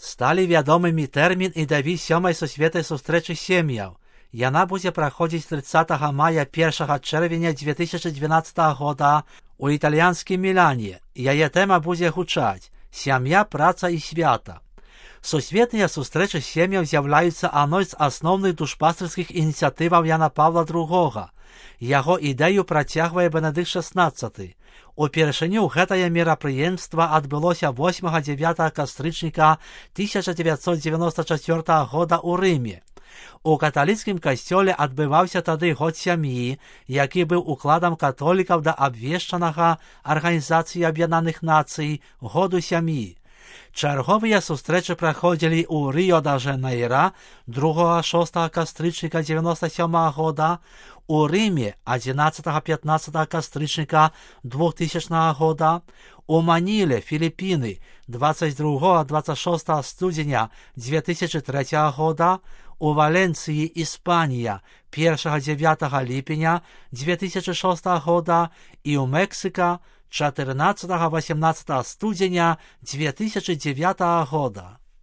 Сталі вядомымі тэрмін і даві 7-й сусветнай сустрэчы сем'яў. Яна будзе праходзіць 30 мая 1 чэрвеня 2012 года у італьянскім Мілане. Яе тэма будзе гучаць «Сям'я, праца і свята». Сусветныя сустрэчы сем'яў з'яўляюцца адной з асноўных душпастырскіх ініцыятываў Яна Павла II. Яго ідэю працягвае Бенедыкт XVI. Упершыню гэтае мерапрыемства адбылося 8-9 кастрычніка 1994 года ў Рыме. У каталіцкім касцёле адбываўся тады год сям'і, які быў укладам католікаў да абвешчанага Арганізацыі Аб'яднаных Нацый году сям'і. Чарговыя сустрэчы праходзілі ў Рыё-да-Жанейра 2-6 кастрычніка 97 года, у Рыме 11-15 кастрычніка 2000 года, у Маніле, Філіпіны 22-26 студзеня 2003 года, у Валенцыі, Іспанія 1-9 ліпеня 2006 года і ў Мексіка 14-18 студзеня 2009 года.